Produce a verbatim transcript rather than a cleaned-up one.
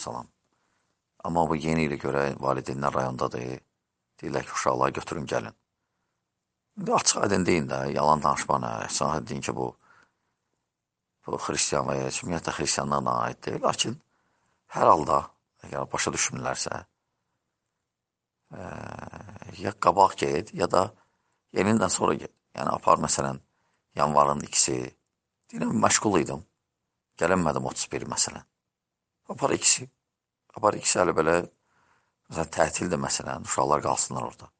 salam. Amma bu yeni ilə görə valideynlər rayondadır. Deyirlər ki, uşaqları götürün, gəlin. İndi açıq aydın deyin də, yalan danışmana. Sana deyin ki, bu, bu xristiyan və ya ümumiyyətlə xristiyanlarla aid deyil. Lakin hər halda, əgər başa düşmürlərsə, e, ya qabaq get, ya da yenindən sonra get. Yəni, apar məsələn, yanvarın ikisi. Deyirəm, məşğul idim. Gələnmədim otuz biri məsələn. Apar ikisi. Apar ikisi hələ belə, məsələn, tətildir məsələn, uşaqlar qalsınlar orada.